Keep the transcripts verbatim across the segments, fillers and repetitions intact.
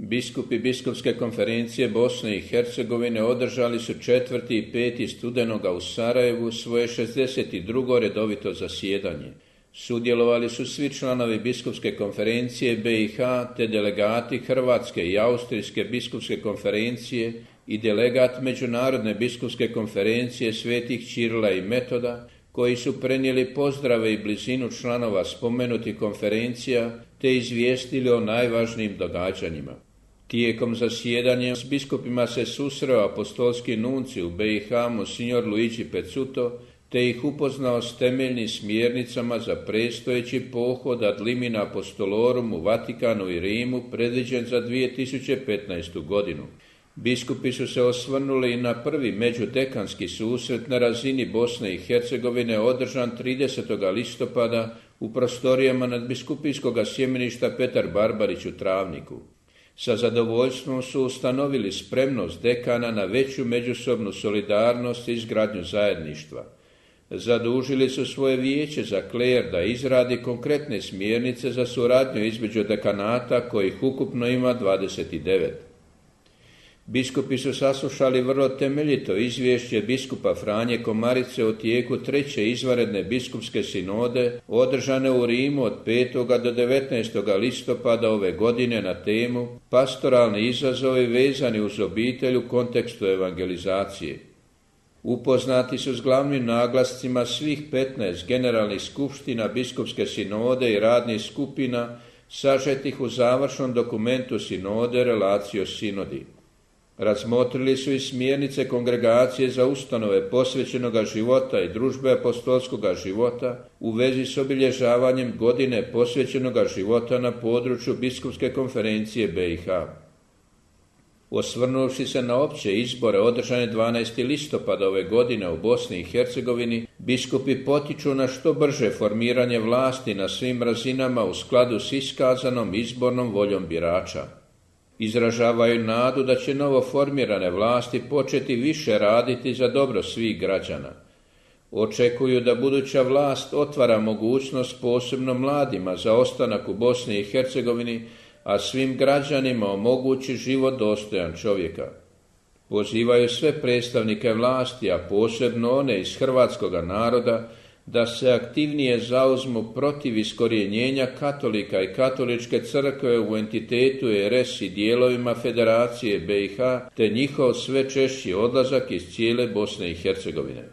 Biskupi Biskupske konferencije Bosne i Hercegovine održali su četvrti i peti studenoga u Sarajevu svoje šezdeset drugo redovito zasjedanje. Sudjelovali su svi članovi Biskupske konferencije B i H te delegati Hrvatske i Austrijske biskupske konferencije i delegat Međunarodne biskupske konferencije svetih Ćirila i Metoda, koji su prenijeli pozdrave i blizinu članova spomenutih konferencija te izvijestili o najvažnijim događanjima. Tijekom zasjedanja s biskupima se susreo apostolski nunci u B i H monsignor Luigi Pezzuto te ih upoznao s temeljnim smjernicama za predstojeći pohod ad limina apostolorum u Vatikanu i Rimu predviđen za dvije tisuće petnaestu. godinu. Biskupi su se osvrnuli i na prvi međudekanski susret na razini Bosne i Hercegovine održan tridesetog listopada u prostorijama nadbiskupijskog sjemeništa Petar Barbarić u Travniku. Sa zadovoljstvom su ustanovili spremnost dekana na veću međusobnu solidarnost i izgradnju zajedništva. Zadužili su svoje vijeće za kler da izradi konkretne smjernice za suradnju između dekanata, kojih ukupno ima dvadeset devet. Biskupi su saslušali vrlo temeljito izvješće biskupa Franje Komarice o tijeku treće izvanredne biskupske sinode održane u Rimu od petog do devetnaestog listopada ove godine na temu Pastoralni izazovi vezani uz obitelj u kontekstu evangelizacije. Upoznati su s glavnim naglascima svih petnaest generalnih skupština biskupske sinode i radnih skupina sažetih u završnom dokumentu sinode Relatio Sinodi. Razmotrili su i smjernice kongregacije za ustanove posvećenoga života i družbe apostolskoga života u vezi s obilježavanjem godine posvećenoga života na području Biskupske konferencije B i H. Osvrnuvši se na opće izbore održane dvanaestog listopada ove godine u Bosni i Hercegovini, biskupi potiču na što brže formiranje vlasti na svim razinama u skladu s iskazanom izbornom voljom birača. Izražavaju nadu da će novo formirane vlasti početi više raditi za dobro svih građana. Očekuju da buduća vlast otvara mogućnost posebno mladima za ostanak u Bosni i Hercegovini, a svim građanima omogući život dostojan čovjeka. Pozivaju sve predstavnike vlasti, a posebno one iz hrvatskoga naroda, da se aktivnije zauzmu protiv iskorjenjenja katolika i katoličke crkve u entitetu R S i dijelovima Federacije B i H, te njihov sve češći odlazak iz cijele Bosne i Hercegovine.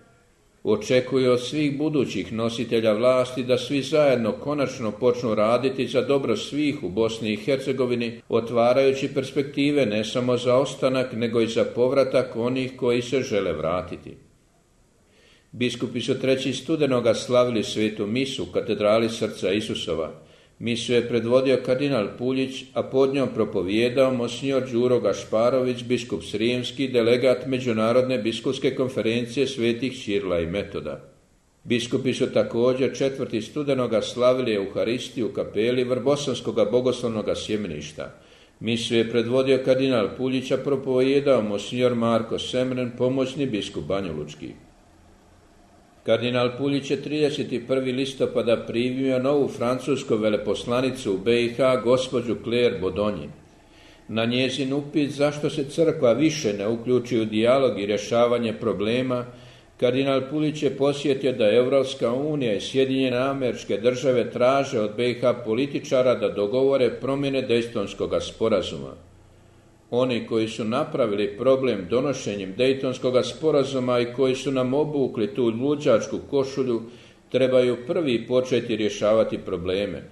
Očekuju od svih budućih nositelja vlasti da svi zajedno konačno počnu raditi za dobro svih u Bosni i Hercegovini, otvarajući perspektive ne samo za ostanak, nego i za povratak onih koji se žele vratiti. Biskupi su trećeg studenoga slavili svetu misu u katedrali Srca Isusova. Misu je predvodio kardinal Puljić, a pod njom propovijedao monsignor Đuro Gašparović, biskup Srijemski, delegat Međunarodne biskupske konferencije svetih Ćirila i Metoda. Biskupi su također četvrtog studenoga slavili Euharistiju u kapeli Vrbosanskoga bogoslovnoga sjemeništa. Misu je predvodio kardinal Puljić, a propovijedao monsignor Marko Semren, pomoćni biskup Banjalučki. Kardinal Puljić je tridesetog prvog listopada primio novu francusku veleposlanicu u B i H, gospođu Claire Bodonji. Na njezin upit zašto se crkva više ne uključi u dijalog i rješavanje problema, kardinal Puljić je podsjetio da Europska unija i Sjedinjene Američke Države traže od B i H političara da dogovore promjene Dejtonskoga sporazuma. Oni koji su napravili problem donošenjem Dejtonskoga sporazuma i koji su nam obukli tu luđačku košulju, trebaju prvi početi rješavati probleme.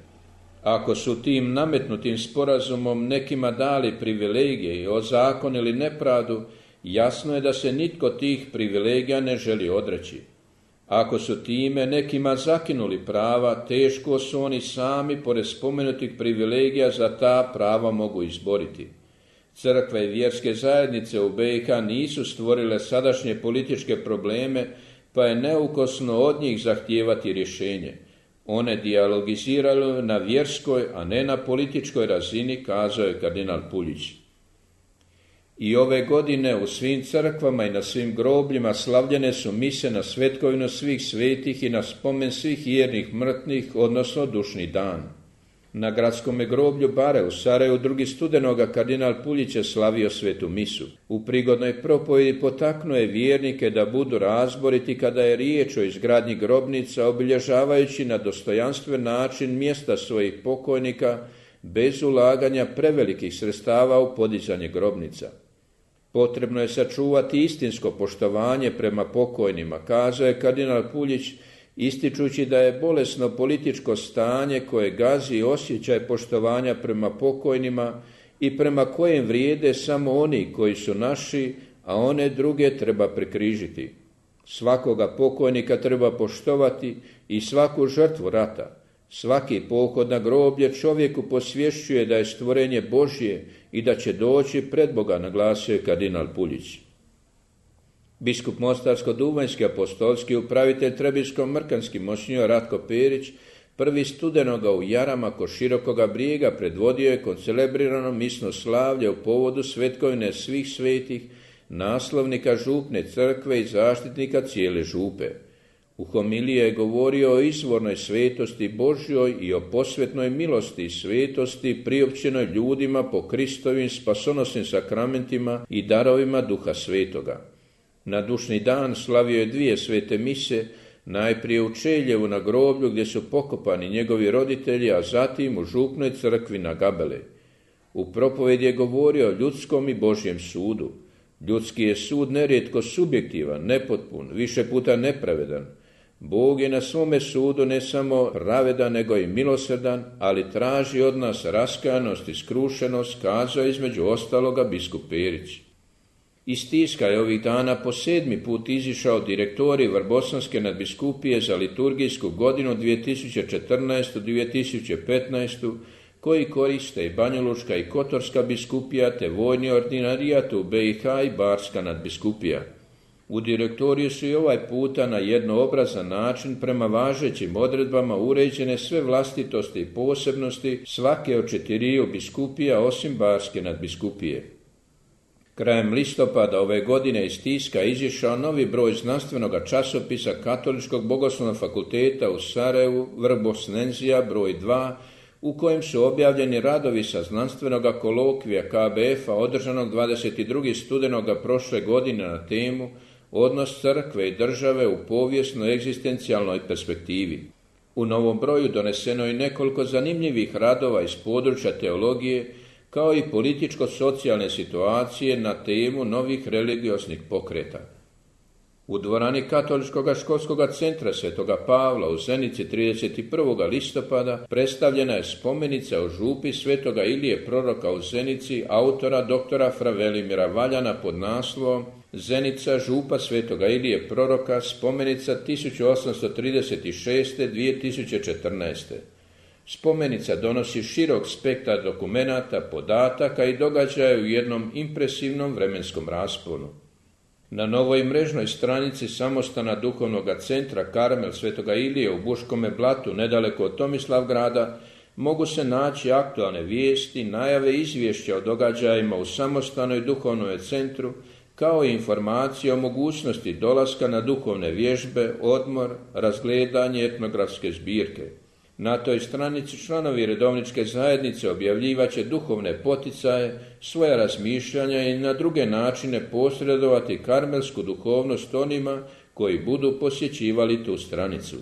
Ako su tim nametnutim sporazumom nekima dali privilegije i ozakonili nepravdu, jasno je da se nitko tih privilegija ne želi odreći. Ako su time nekima zakinuli prava, teško su oni sami pored spomenutih privilegija za ta prava mogu izboriti. Crkve i vjerske zajednice u B i H nisu stvorile sadašnje političke probleme, pa je neukosno od njih zahtijevati rješenje. One dijalogiziraju na vjerskoj, a ne na političkoj razini, kazao je kardinal Puljić. I ove godine u svim crkvama i na svim grobljima slavljene su mise na svetkovinu svih svetih i na spomen svih vjernih mrtvih, odnosno dušni dan. Na gradskome groblju Bare u Sarajevu drugi studenoga kardinal Puljić je slavio svetu misu. U prigodnoj propovjedi potaknuo je vjernike da budu razboriti kada je riječ o izgradnji grobnica, obilježavajući na dostojanstven način mjesta svojih pokojnika bez ulaganja prevelikih sredstava u podizanje grobnica. Potrebno je sačuvati istinsko poštovanje prema pokojnima, kazao je kardinal Puljić, ističući da je bolesno političko stanje koje gazi osjećaj poštovanja prema pokojnima i prema kojem vrijede samo oni koji su naši, a one druge treba prekrižiti. Svakoga pokojnika treba poštovati i svaku žrtvu rata. Svaki pohod na groblje čovjeku posvješćuje da je stvorenje Božje i da će doći pred Boga, naglasio je kardinal Puljić. Biskup Mostarsko-duvanjski apostolski upravitelj Trebinsko-mrkanski monsinjor Ratko Perić prvi studenoga u Jarama kod Širokoga Brijega predvodio je koncelebrirano misno slavlje u povodu svetkovine svih svetih, naslovnika župne crkve i zaštitnika cijele župe. U homiliji je govorio o izvornoj svetosti Božjoj i o posvetnoj milosti i svetosti priopćenoj ljudima po Kristovim spasonosnim sakramentima i darovima Duha Svetoga. Na dušni dan slavio je dvije svete mise, najprije u Čeljevu na groblju gdje su pokopani njegovi roditelji, a zatim u župnoj crkvi na Gabele. U propovedi je govorio o ljudskom i Božjem sudu. Ljudski je sud nerijetko subjektivan, nepotpun, više puta nepravedan. Bog je na svome sudu ne samo pravedan, nego i milosrdan, ali traži od nas raskajanost i skrušenost, kazao između ostaloga biskup Perić. Iz Tiska je ovih dana po sedmi put izišao direktorij Vrbosanske nadbiskupije za liturgijsku godinu dvije tisuće četrnaestu dvije tisuće petnaestu, koji koriste i Banjalučka i Kotorska biskupija te vojni ordinarijat u B i H i Barska nadbiskupija. U direktoriju su i ovaj puta na jednoobrazan način prema važećim odredbama uređene sve vlastitosti i posebnosti svake od četiriju biskupija osim Barske nadbiskupije. Krajem listopada ove godine iz Tiska izišao novi broj znanstvenoga časopisa Katoličkog bogoslovnog fakulteta u Sarajevu, Vrbosnenzija broj dva, u kojem su objavljeni radovi sa znanstvenoga kolokvija K B F-a održanog dvadeset drugog studenoga prošle godine na temu Odnos crkve i države u povijesno-egzistencijalnoj perspektivi. U novom broju doneseno je nekoliko zanimljivih radova iz područja teologije, kao i političko-socijalne situacije na temu novih religioznih pokreta. U dvorani Katoličkog školskog centra Svetoga Pavla u Zenici trideset prvog listopada predstavljena je spomenica o župi Svetoga Ilije proroka u Zenici autora doktora Fra Velimira Valjana pod naslovom Zenica župa Svetoga Ilije proroka, spomenica tisuću osamsto trideset šeste do dvije tisuće četrnaeste. Spomenica donosi širok spektar dokumenata, podataka i događaja u jednom impresivnom vremenskom rasponu. Na novoj mrežnoj stranici samostana duhovnog centra Karmel Svetoga Ilije u Buškome Blatu, nedaleko od Tomislavgrada, mogu se naći aktualne vijesti, najave izvješća o događajima u samostanoj duhovnom centru, kao i informacije o mogućnosti dolaska na duhovne vježbe, odmor, razgledanje etnografske zbirke. Na toj stranici članovi redovničke zajednice objavljivaće duhovne poticaje, svoja razmišljanja i na druge načine posredovati karmelsku duhovnost onima koji budu posjećivali tu stranicu.